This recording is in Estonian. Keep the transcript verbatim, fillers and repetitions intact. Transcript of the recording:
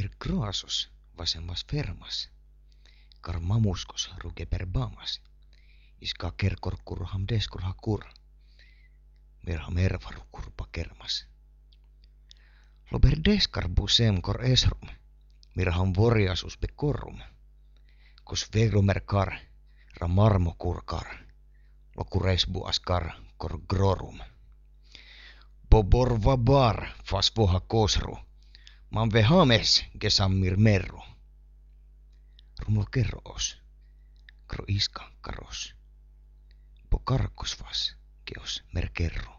per grasos vasemmas fermas, kar mamuskos ruge per bamas, iska kerkor kurham deskurha kur, merha mervaru kurpa kermas. Lober deskar busem kor esrum, mirham voriasus be korrum, kos verumer kar, ra marmo kurkar, lokuresbu askar kor grorum. Bobor vabar fas voha kosru, man vehames gesammir merru. Rumul kerros, kro iska karos, bo karkos vas geos mer kerru.